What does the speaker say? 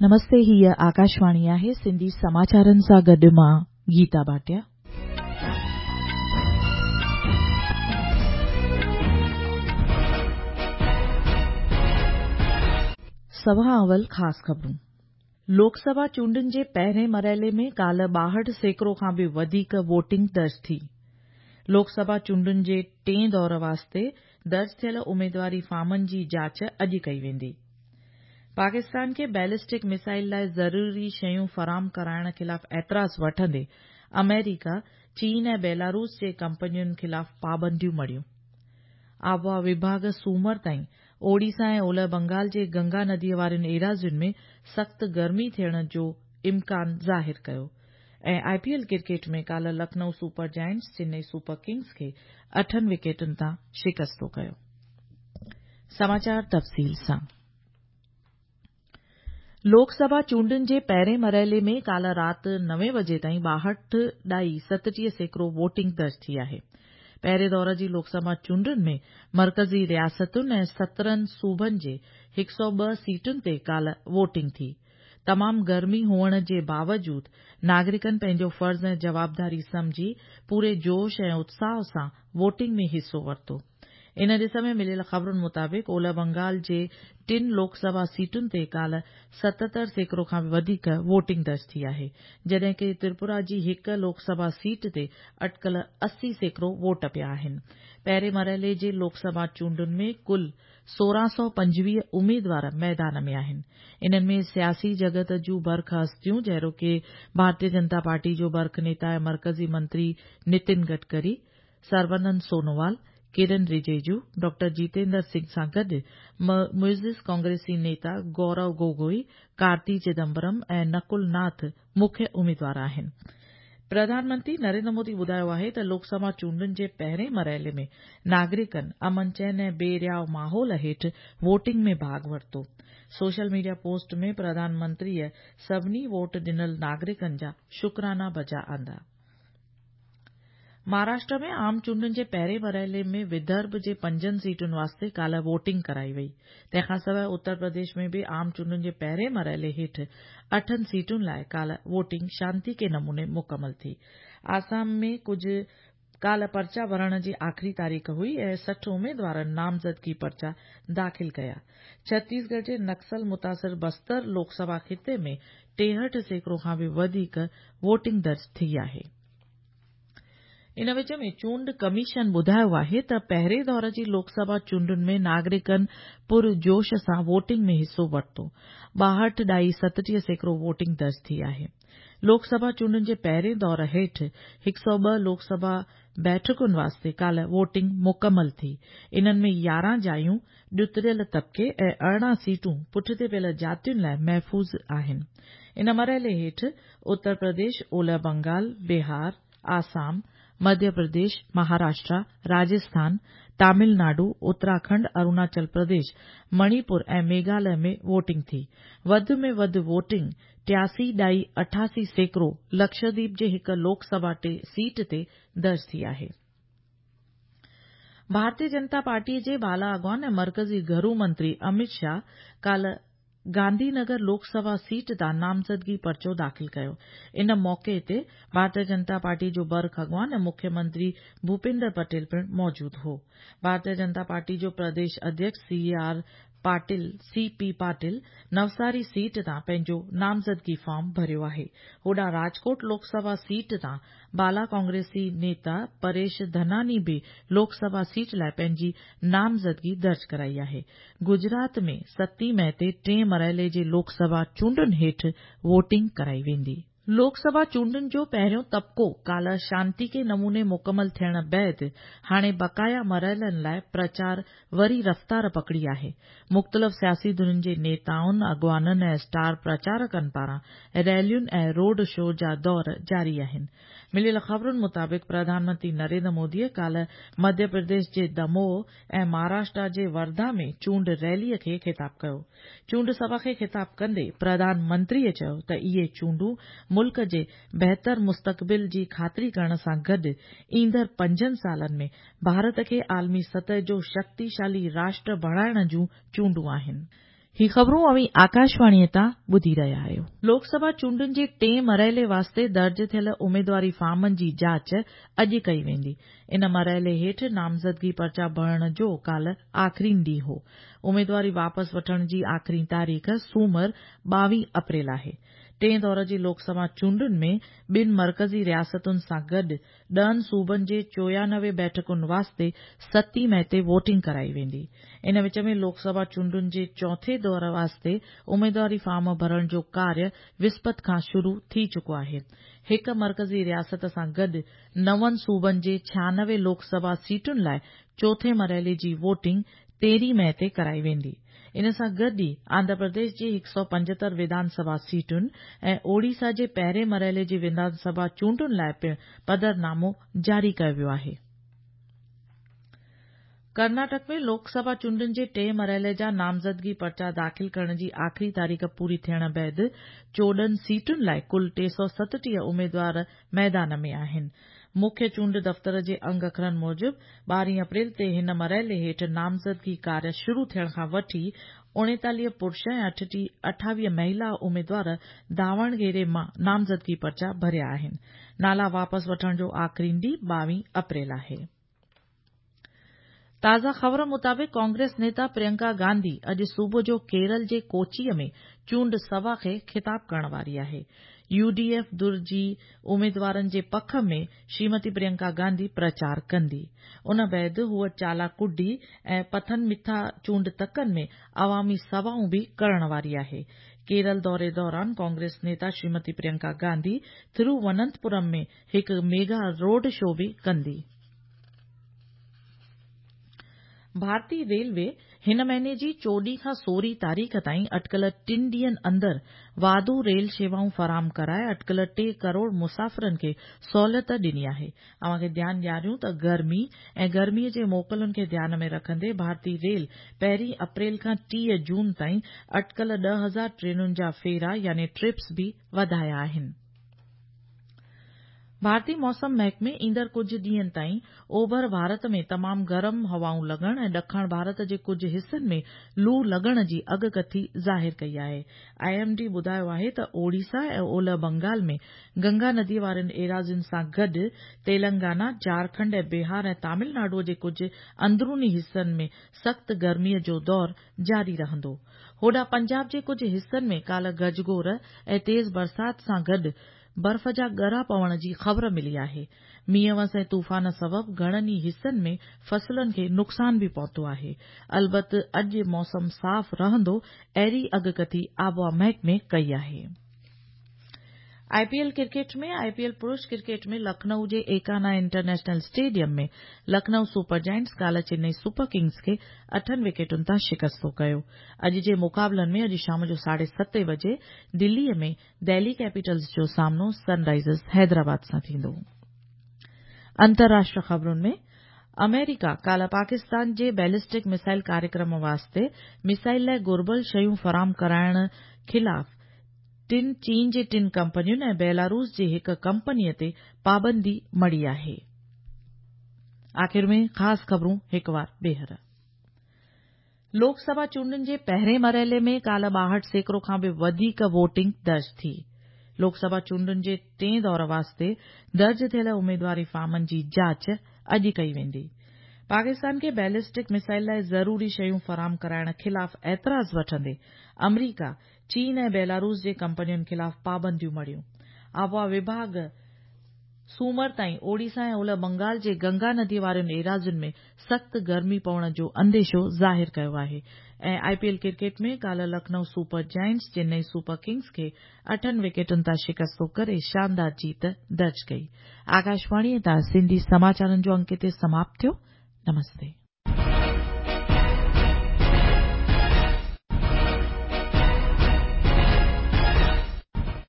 نمستي هيء آڪاشواڻي آهي سنڌي سماچارن سان گڏ مان گيتا ڀاٽيا. سڀ کان اول خاص خبرون. لوڪ سڀا چونڊن جي پهرين مرحلي ۾ ڪالهه 62% کان به وڌيڪ ووٽنگ درج ٿي. لوڪ سڀا چونڊن جي ٽئين دور واسطي درج ٿيل اميدواري فارمن جي جاچ اڄ ڪئي ويندي. پاڪستان کي بيلسٽڪ ميزائل لاء ضروري شيون فراهم ڪرائڻ خلاف اعتراض وٺندي آمريڪا، چين ۽ بيلاروس جي ڪمپنين خلاف پابنديون مڙهيون. آبهوا وڀاڳ سومر تائين اوڙيسا ۽ اولهه بنگال جي گنگا نديء وارين ايراضين ۾ سخت گرمي ٿيڻ جو امڪان ظاهر ڪيو ۽ آء پي ايل ڪرڪيٽ ۾ ڪالهه Lucknow super giants Chennai super kings کي اٺن وڪيٽن تان شڪستو ڪيو. سماچار تفصيل سان لوڪ سڀا چونڊن جي پهرين مرحلي ۾ ڪالهه رات نوين وڄي تائين 62.37% ووٽنگ درج ٿي آهي. پهرين دور جي لوڪ سڀا چونڊن ۾ مرڪزي رياستن ۽ 17 صوبن جي 102 سيٽن تي ڪالهه ووٽنگ ٿي. تمام گرمي هئڻ جي باوجود ناگرڪن پنهنجو فرض ۽ جوابداري سمجهي پوري جوش ۽ اتساهه سان ووٽنگ ۾ حصو ورتو. ان ڏس ۾ مليل خبرن مطابق اولهه بنگال جي ٽن لوڪ سڀا سيٽن تي ڪالهه 77% کان به وڌيڪ ووٽنگ درج ٿي آهي، جڏهن ڪه تريپورا جي هڪ لوڪ سڀا سيٽ تي اٽڪل 80% ووٽ پيا آهن. پهرين مرحلي جي لوڪ سڀا چونڊن ۾ ڪل 1625 اميدوار ميدان ۾ آهن. انهن ۾ سياسي جڳت جون برک هستيون جهڙوڪ ڀارتيه جنتا پارٽي جو برک نيتا ۽ مرڪزي منتري نتن گڊڪري، سربانند سونووال، ڪرن رجيجو، ڊاڪٽر جيتيندر سنگهه سان گڏ معزز ڪانگريسي نيتا گورو گوگوئي، ڪارتي چدمبرم ۽ نڪل ناٿ مکيه اميدوار آهن. پرڌان منتري نريندر مودي ٻڌايو آهي ته لوڪ سڀا چونڊن جي پهرين مرحلي ۾ ناگرڪن امن چين ۽ بي رياء ماحول هيٺ ووٽنگ ۾ ڀاڳ ورتو. سوشل ميڊيا پوسٽ ۾ پرڌان منتريء سڀني ووٽ ڏنل ناگرڪن جا شڪرانا بجا آندا. مهاراشٽر ۾ عام چونڊن جي پهرين مرحلي ۾ ودرڀ جي پنجن سيٽن واسطي ڪالهه ووٽنگ ڪرائي وئي. تنهن کانسواء اتر پرديش ۾ به عام چونڊن جي پهرين مرحلي هيٺ اٺن سيٽن لاء ڪالهه ووٽنگ شانتيڪي نموني مڪمل ٿي. آسام ۾ ڪجهه ڪالهه پرچا ڀرڻ جي آخري تاريخ هئي ۽ 60 اميدوارن نامزدگي پرچا داخل ڪيا. ڇتيسڳڙهه جي نڪسل متاثر بستر لوڪ سڀا خطي ۾ 63% کان به وڌيڪ ووٽنگ درج ٿي آهي. ان وچ ۾ چونڊ ڪميشن ٻڌايو آهي ته پهرين دور جي لوڪ سڀا چونڊن ۾ ناگرڪن پرجوش سان ووٽنگ ۾ حصو ورتو. 62.37% ووٽنگ درج ٿي آهي. لوڪ سڀا چونڊن جي پهرين دور هيٺ 102 لوڪ سڀا بيٺڪن واسطي ڪالهه ووٽنگ مڪمل ٿي. انهن ۾ 11 جايون ڏتڙيل طبقي ۽ 18 سيٽون پٺتي پيل جاتين لاء محفوظ آهن. ان مرحلي هيٺ اتر پرديش، اولهه بنگال، بهار، آسام، مڌيه پرديش، مهاراشٽرا، راجسٿان، تامل ناڊو، اتراکنڊ، اروناچل پرديش، مڻيپور ۽ ميگهاليه ۾ ووٽنگ ٿي. وڌ ۾ وڌ ووٽنگ 83.88% لڪشديپ جي هڪ لوڪ سڀا سيٽ تي درج ٿي آهي. ڀارتيه جنتا پارٽيء جي بالا اڳواڻ ۽ مرڪزي گهرو منتري امت شاهه ڪالهه گانڌي نگر لوڪ سڀا سيٽ تان نامزدگي پرچو داخل ڪيو. ان موقعي تي ڀارتيه جنتا پارٽي جو برک اڳواڻ ۽ مکيه منتري ڀوپيندر پٽيل پڻ موجود هو. ڀارتيه جنتا پارٽي جو Pradesh اڌيڪش C R Patil, C P Patil, Navsari seat تان پنهنجو نامزدگي فارم ڀريو آهي. هوڏانهن راجڪوٽ لوڪ سڀا سيٽ تان بالا ڪانگريسي نيتا پريش ڌناني به لوڪ سڀا سيٽ لاء پنهنجي نامزدگي درج ڪرائي آهي. گجرات ۾ ستين مئي تي ٽئين مرحلي جي لوڪ سڀا چونڊن هيٺ ووٽنگ ڪرائي ويندي. لوڪ سڀا چونڊن جو پهريون طبقو ڪالهه شانتيڪي نموني مڪمل ٿيڻ بعد هاڻي بقايا مرحلن لاء پرچار وري رفتار پڪڙي آهي. مختلف سياسي ڌرين جي نيتائن، اڳواڻن ۽ اسٽار پرچارڪن پاران ريلين ۽ روڊ شو جا دور جاري آهن. مليل خبرن مطابق پرڌان منتري نريندر موديء ڪالهه مڌيه پرديش جي دموهه ۽ مهاراشٽرا جي ورڌا ۾ چونڊ ريليء کي خطاب ڪيو. چونڊ سڀا کي خطاب ڪندي پرڌان منتريء چيو ته اهي چونڊون ملڪ جي بهتر مستقبل جي خاطري ڪرڻ سان گڏ ايندڙ پنجن سالن ۾ ڀارت کي عالمي سطح جو شڪتيشالي راشٽر بڻائڻ جون چونڊون آهن. هي خبرون اوهين آڪاشواڻيء تان ٻڌي رهيا آهيو. لوڪ سڀا چونڊن جي ٽئين مرحلي واسطي درج ٿيل اميدواري فارمن جي جاچ اڄ ڪئي ويندي. ان مرحلي هيٺ نامزدگي پرچا ڀرڻ جو ڪالهه آخرين ڏينهن هو. اميدواري واپس وٺڻ جي آخرين تاريخ سومر 22 اپريل آهي. ٽئين دور جي لوڪ سڀا چونڊن ۾ ٻن مرڪزي رياستن سان گڏ ڏهن صوبن جي 94 بيٺڪن واسطي ستين مئي تي ووٽنگ ڪرائي ويندي. ان وچ ۾ لوڪ سڀا چونڊن جي چوٿين دور واسطي اميدواري فارم ڀرڻ جو ڪاريه وسپت کان شروع ٿي چڪو آهي. هڪ مرڪزي رياست سان گڏ نون صوبن جي 96 لوڪ سڀا سيٽن لاء چوٿين مرحلي جي ووٽنگ 13 مئي تي ڪرائي ويندي. ان سان گڏ ئي آنڌرا پرديش جي 175 وڌان سڀا سيٽن ۽ اوڙيسا جي پهرين مرحلي جي وڌان سڀا چونڊن لاء پڻ پڌرنامو جاري ڪيو ويو آهي. ڪرناٽڪ ۾ لوڪ سڀا چونڊن جي ٽئين مرحلي جا نامزدگي پرچا داخل ڪرڻ جي آخري تاريخ پوري ٿيڻ بعد 14 سيٽن لاء ڪل 337 اميدوار ميدان ۾ آهن. مکيه چونڊ دفتر جي انگ اکرن موجب 12 اپريل تي هن مرحلي هيٺ نامزدگي ڪاريه شروع ٿيڻ کان وٺي 39 پرش ۽ 28 مهيلا اميدوار داوڻگيري مان نامزدگي پرچا ڀريا آهن. نالا واپس وٺڻ جو آخرين ڏينهن 22 اپريل آهي. تازه خبر مطابق ڪانگريس نيتا پريانڪا گانڌي اڄ صبح جو ڪيرل جي ڪوچيء ۾ چونڊ سڀا کي خطاب ڪرڻ واري آهي. يو ڊي ايف ڌر جي اميدوارن جي پک ۾ شريمتي پريانڪا گانڌي پرچار ڪندي. ان بعد هوء چالاڪوڊي ۽ پٿنمٿا چونڊ تڪن ۾ عوامي سڀائون به ڪرڻ واري آهي. ڪيرل دوري دوران ڪانگريس نيتا شريمتي پريانڪا گانڌي ٿرووننتپورم ۾ هڪ ميگا روڊ شو به ڪندي. ڀارتي ريلوي هن مهيني جي 14 کان 16 تاريخ تائين اٽڪل ٽن ڏينهن اندر واڌو ريل شيوائون فراهم ڪرائي اٽڪل 3 ڪروڙ مسافرن کي سهولت ڏني آهي. اوهان کي ڌيان ڏياريون ته گرمي ۽ گرمي جي موڪلن کي ڌيان ۾ رکندي ڀارتي ريل پهرين اپريل کان 30 جون تائين اٽڪل 10,000 ٽرينن جا ڦيرا يعني ٽرپس به وڌايا آهن. ڀارتي موسم محڪمي ايندڙ ڪجهه ڏينهن تائين اوڀر ڀارت ۾ تمام گرم هوائون لڳڻ ۽ ڏکڻ ڀارت جي ڪجهه حصن ۾ لو لڳڻ جي اڳڪٿي ظاهر ڪئي آهي. I M D ٻڌايو آهي ته اوڙيسا ۽ اولهه بنگال ۾ گنگا ندي وارين ايراضين سان گڏ تيلنگانا، جهارکنڊ ۽ بهار ۽ تامل ناڊو جي ڪجهه اندروني حصن ۾ سخت گرمي جو دور جاري رهندو. هوڏانهن پنجاب جي ڪجهه حصن ۾ ڪالهه گجگوڙ ۽ تيز برسات سان گڏ برف جا ڳڙا پوڻ جي خبر ملي آهي. مينهن وس ۽ طوفان سبب گهڻن ئي حصن ۾ فصلن کي نقصان به پهتو آهي. البت اڄ موسم صاف رهندو اهڙي اڳڪٿي آبهوا محڪمي ڪئي آهي. I P L cricket ۾ I P L پرش ڪرڪيٽ ۾ لکنئو جي Ekana international stadium ۾ Lucknow super giants ڪالهه چنئي سپر ڪنگز کي اٺن وڪيٽن تان شڪستو ڪيو. اڄ جي مقابلن ۾ اڄ شام جو ساڍي ستين بجي دلي ۾ دهلي ڪيپيٽلز جو سامنو سن رائيزرز حيدرآباد سان ٿيندو. انترراشٽر خبرن ۾ آمريڪا ڪالهه پاڪستان جي بيلسٽڪ ميسائل ڪاريڪرم واسطي ميسائل لاء گهربل شيون فراهم ڪرائڻ خلاف ٽن چين جي ٽن ڪمپنين ۽ بيلاروس جي هڪ ڪمپني تي پابندي مڙهي آهي. آخر ۾ خاص خبرون هڪ وار ٻيهر. لوڪ سڀا چونڊن جي پهرين مرحلي ۾ ڪالهه 62% کان به وڌيڪ ووٽنگ درج ٿي. لوڪ سڀا چونڊن جي ٽئين دور واسطي درج ٿيل اميدواري فارمن جي جاچ اڄ ڪئي ويندي. پاڪستان کي بيلسٽڪ ميسائل لاء ضروري شيون فراهم ڪرائڻ خلاف اعتراض وٺندي آمريڪا، چين ۽ بيلاروس جي ڪمپنين خلاف پابنديون مڙهيون. آبهوا وڀاڳ سومر تائين اوڙيسا ۽ اولهه بنگال جي گنگا ندي وارين ايراضين ۾ سخت گرمي پوڻ جو انديشو ظاهر ڪيو آهي ۽ آء پي ايل ڪرڪيٽ ۾ ڪالهه Lucknow super giants Chennai super kings کي اٺن وڪيٽن تان شڪستو ڪري شاندار جيت درج ڪئي. آڪاشواڻي تان سنڌي سماچارن جو انڪ هتي سماپت ٿيو. نمستي.